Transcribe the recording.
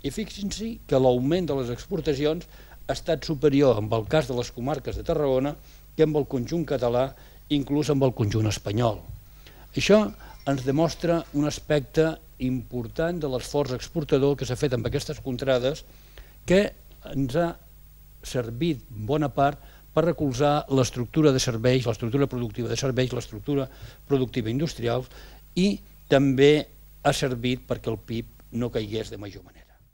I fixin-se que l'augment de les exportacions ha estat superior en el cas de les comarques de Tarragona que en el conjunt català, inclús en el conjunt espanyol. Això ens demostra un aspecte important de l'esforç exportador que s'ha fet amb aquestes contrades, que ens ha servit en bona part per recolzar l'estructura de serveis, l'estructura productiva de serveis, l'estructura productiva industrial, i també ha servit perquè el PIB no caigués de major manera.